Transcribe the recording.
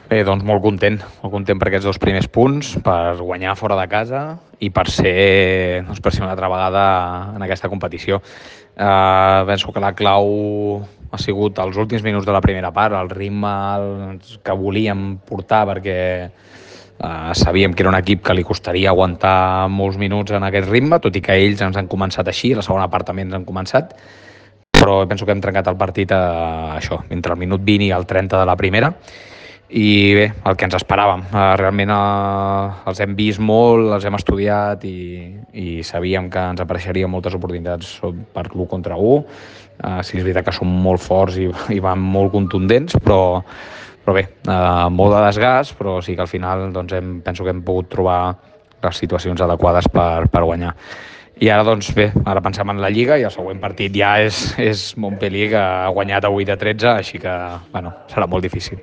Bé, doncs molt content per aquests 2 primers punts, per guanyar fora de casa i per ser una altra vegada en aquesta competició. Penso que la clau ha sigut els últims minuts de la primera part, el ritme que volíem portar, perquè sabíem que era un equip que li costaria aguantar molts minuts en aquest ritme, tot i que ells ens han començat així, la segona part també ens han començat, però penso que hem trencat el partit això, entre el minut 20 i el 30 de la primera, i bé, el que ens esperàvem. Realment els hem vist molt, els hem estudiat i sabíem que ens apareixerien moltes oportunitats per l'1 contra 1. Sí, és veritat que són molt forts i van molt contundents, però bé, molt de desgast, però sí que al final doncs, penso que hem pogut trobar les situacions adequades per guanyar. I ara, doncs bé, ara pensem en la Lliga i el següent partit ja és Montpellier, que ha guanyat a 8-13, així que bueno, serà molt difícil.